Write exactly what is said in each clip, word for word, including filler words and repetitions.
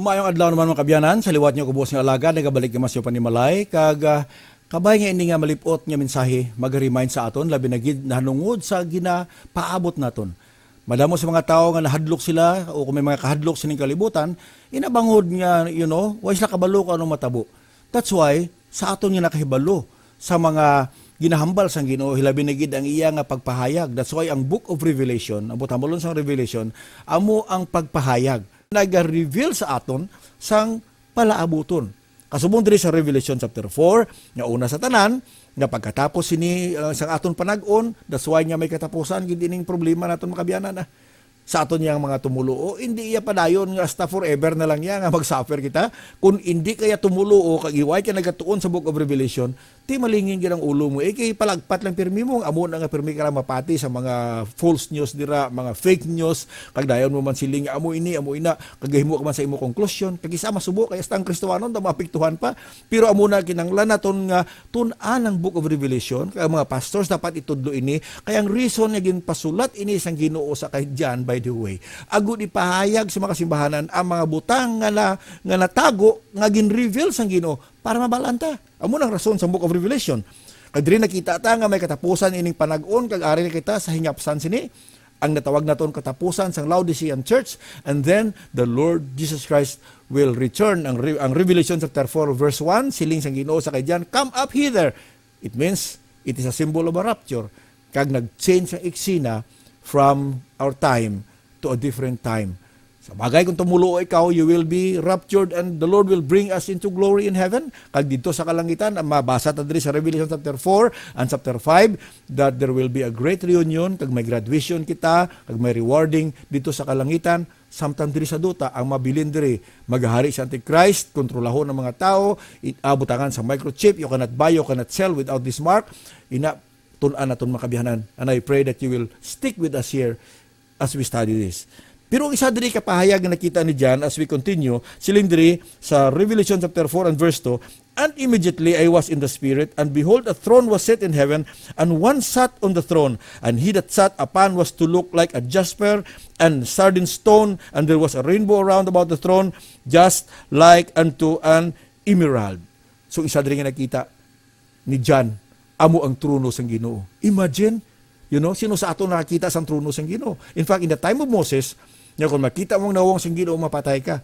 Maayong adlaw naman, mga kabyanan. Sa liwat niyo, kubos nga alagad, nagabalik naman sa panimalay. Kag, ah, kabay nga ini nga malipot nga mensahe, mag-remind sa aton, labi na gid nahanungod sa ginapaabot naton. Madamo sa mga tawo nga nahadlok sila, o kung may mga kahadlok sining kalibutan, inabangod nga, you know, way sila kabalo kung anong matabo. That's why, sa aton nga nakahibalo sa mga ginahambal sang Ginoo, hilabi na gid ang iya nga pagpahayag. That's why ang Book of Revelation, ang butambalon sang Revelation, amo ang pagpahayag. Naga-reveal sa aton sang palaabuton. Kasubong diri sa Revelation chapter four, nga una sa tanan, nga pagkatapos sini, uh, sang aton panag-on, that's why nga may katapusan gid ining problema naton, mga kabyanan, ah. Sa aton yang mga tumuluo, hindi iya padayon nga hasta forever na lang iya nga mag-suffer kita. Kung hindi kaya tumuluo, kag iway ka nagatuon sa Book of Revelation, ti malingin gid ang ulo mo. Eh, kay palagpat lang pirmi mo, amo na nga pirmi ka lang mapati sa mga false news dira, mga fake news, kag dayon mo man siling, "Amo ini, amo ina," kag gahimo ka man sa imo konklusyon. Kag isa masubo, kay hasta ang Kristohanon, daw maapektuhan pa. Pero amo na kinahanglan naton nga tun-an ang Book of Revelation, kay ang mga pastors dapat itudlo ini, kay ang reason nga ginpasulat ini sang Ginoo sa kay John, by the way, agud ipahayag sa mga simbahanan ang mga butang nga na, nga natago, nga gin-reveal sang Ginoo para mabalaan ta. Amo nang rason sa Book of Revelation. Kag diri nakita ta nga may katapusan ining panag-on, kag ari na kita sa hinapsan sini, ang natawag naton katapusan sang Laodicean church, and then the Lord Jesus Christ will return. Ang, Re- ang Revelation chapter four verse one, siling sang Ginoo sa kay John, "Come up hither." It means, it is a symbol of a rapture. Kag nag-change ang eksena from our time to a different time. Sa bagay, kung tumuluo ikaw, you will be raptured and the Lord will bring us into glory in heaven. Kag dito sa kalangitan, ang mabasa ta diri sa Revelation chapter four and chapter five, that there will be a great reunion, kag may graduation kita, kag may rewarding dito sa kalangitan. Samtang diri sa duta, ang mabilin diri, maghahari si Antichrist, kontrolahon ang mga tao, i- ah, butangan sa microchip, you cannot buy, you cannot sell without this mark. Ina, tun-an naton, mga kabyanan. And I pray that you will stick with us here as we study this. Pero ang isa diri ka pahayag nga nakita ni John as we continue, siling diri sa Revelation chapter four and verse two, "And immediately I was in the Spirit, and behold, a throne was set in heaven, and one sat on the throne, and he that sat upon was to look like a jasper and sardine stone, and there was a rainbow around about the throne, just like unto an emerald." So, isa diri nga nakita ni John, amo ang trono sang Ginoo. Imagine, you know, sino sa aton nakakita sang trono sang Ginoo? In fact, in the time of Moses, nga kung makita mo ang nawong sang Ginoo, mapatay ka.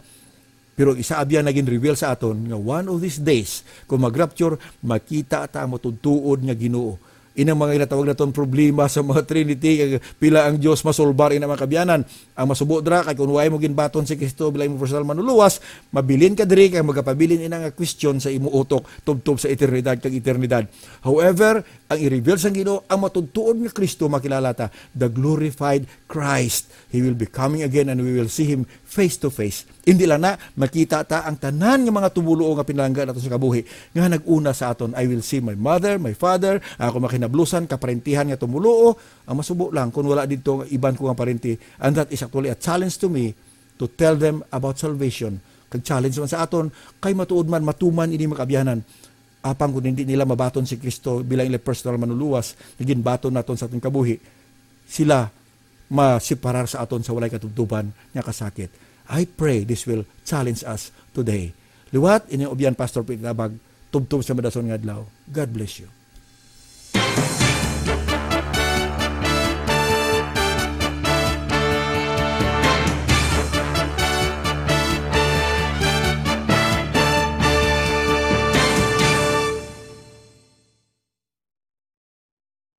Pero ang isa abyan naging reveal sa aton nga one of these days, kung mag-rapture, makita ta ang matuod-tuod nga Ginoo. Inang mga ginatawag naton problema sa mga Trinity, kag pila ang Dios masolbar ina, mga kabyanan. Ang masubo dira kay kung way mo ginbaton si Kristo bilang imong personal manluluwas, mabilin ka diri kay magapabilin ina nga question sa imo utok tubtob sa eternidad kag eternidad. However, ang i-reveal sang Ginoo, ang matuod-tuod nga Kristo makilala ta, the glorified Christ. He will be coming again and we will see Him face to face. Hindi lang na, makita ta ang tanan nga mga tumuluo nga pinalangga nato sa kabuhi nga nag-una sa aton, "I will see my mother, my father, ang akong mga kinablusan, kaparentihan nga tumuluo." Ang masubo lang, kung wala dito nga iban ko nga parente, and that is actually a challenge to me to tell them about salvation. Kag challenge man sa aton, kay matuod man, matuman ini, mga kabyanan. Apang kung hindi nila mabaton si Kristo bilang ilang personal manluluwas, nga ginbaton naton sa aton kabuhi, sila masiparar sa aton sa walay katubtuban nga kasakit. I pray this will challenge us today. Liwat, inyong ubyan, Pastor Pete Tabag, tubtob sa madason nga adlaw. God bless you.